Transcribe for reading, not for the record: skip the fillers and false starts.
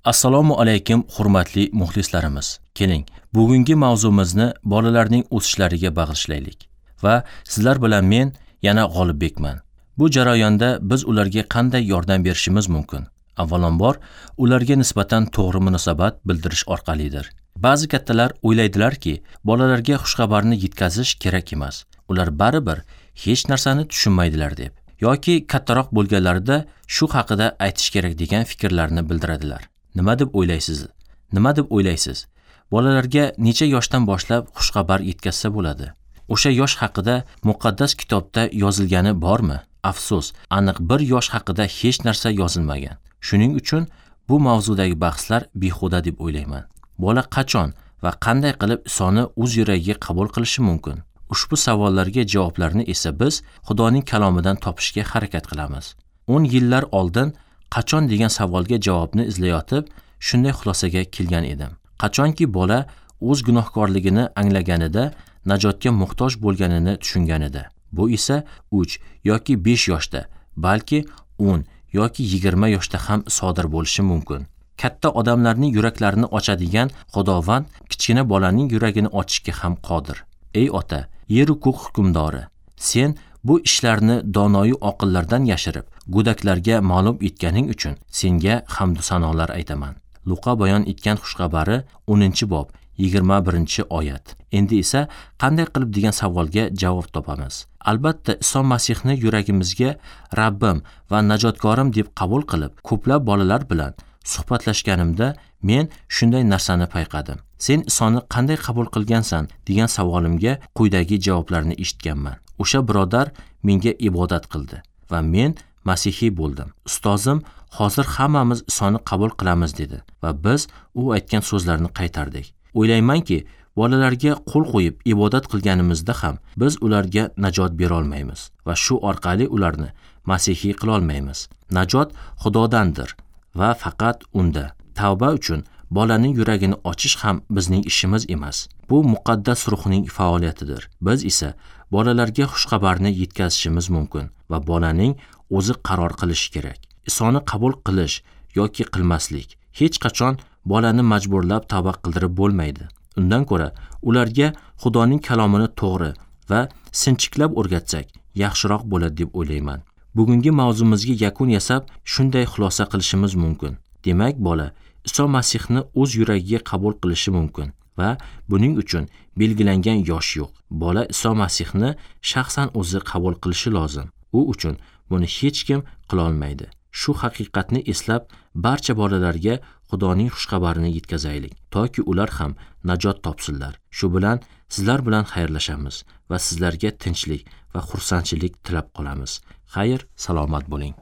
Assalomu alaykum hurmatli muxlislarimiz. Keling, bugungi mavzumizni bolalarning o'sishlariga bag'ishlaylik va sizlar bilan men yana G'olibbekman. Bu jarayonda biz ularga qanday yordam berishimiz mumkin? Avvalambor, ularga nisbatan to'g'ri munosabat bildirish orqalidir. Ba'zi kattalar o'ylaydilarki, bolalarga xushxabarni yetkazish kerak emas. Ular baribir hech narsani tushunmaydilar deb yoki kattaroq bo'lganlarida shu haqida aytish kerak degan fikrlarni bildiradilar. Nima deb o'ylaysiz? Nima deb o'ylaysiz? Bolalarga necha yoshdan boshlab xushxabar yetkazsa bo'ladi? O'sha yosh haqida muqaddas kitobda yozilgani bormi? Afsus, aniq bir yosh haqida hech narsa yozilmagan. Shuning uchun bu mavzudagi bahslar behuda deb o'ylayman. Bola qachon va qanday qilib Isoni o'z yuragiga qabul qilishi mumkin? Ushbu savollarga javoblarni esa biz Xudoning kalomidan topishga harakat qilamiz. 10 yillar oldin qachon degan savolga javobni izlayotib, shunday xulosaga kelgan edim. Qachonki bola o'z gunohkorligini anglaganida, najotga muhtoj bo'lganini tushunganida. Bu esa 3 yoki 5 yoshda, balki 10 yoki 20 yoshda ham sodir bo'lishi mumkin. Katta odamlarning yuraklarini ochadigan Xudovand kichkina bolaning yuragini ochishga ham qodir. Ey ota, yer-u ko'k hukmdori, sen bu ishlarni donoyu oqillardan yashirib, go'daklarga ma'lum etganing uchun senga hamd sanolar aytaman. Luqa bayon etgan xushxabari 10-bob 21-oyat. Endi esa qanday qilib degan savolga javob topamiz. Albatta, Iso Masihni yuragimizga Rabbim va najotkorim deb qabul qilib, ko'plab bolalar bilan suhbatlashganimda men shunday narsani payqadim. Sen Isoni qanday qabul qilgansan degan savolimga quyidagi javoblarni eshitganman. O'sha birodar menga ibodat qildi va men masihiy bo'ldim. Ustozim hozir hammamiz Isoni qabul qilamiz dedi va biz u aytgan so'zlarni qaytardik. O'ylaymanki, bolalarga qo'l qo'yib ibodat qilganimizda ham biz ularga najot bera olmaymiz va shu orqali ularni masihiy qila olmaymiz. Najot Xudodandir va faqat unda. Tavba uchun bolaning yuragini ochish ham bizning ishimiz emas. Bu muqaddas ruhning faoliyatidir. Biz esa bolalarga xushxabarni yetkazishimiz mumkin va bolaning o'zi qaror qilishi kerak. Isoni qabul qilish yoki qilmaslik. Hech qachon bolani majburlab tavba qildirib bo'lmaydi. Undan ko'ra ularga Xudoning kalomini to'g'ri va sinchiklab o'rgatsak, yaxshiroq bo'ladi deb o'ylayman. Bugungi mavzumizga yakun yasab, shunday xulosa qilishimiz mumkin. Demak, bola Iso Masihni o'z yuragiga qabul qilishi mumkin va buning uchun belgilangan yosh yo'q. Bola Iso Masihni shaxsan o'zi qabul qilishi lozim. U uchun buni hech kim qila olmaydi. Shu haqiqatni eslab, barcha bolalarga Xudoning xushxabarini yetkazaylik, toki ular ham najot topsinlar. Shu bilan sizlar bilan xayrlashamiz va sizlarga tinchlik va xursandchilik tilab qolamiz. Xayr, salomat bo'ling.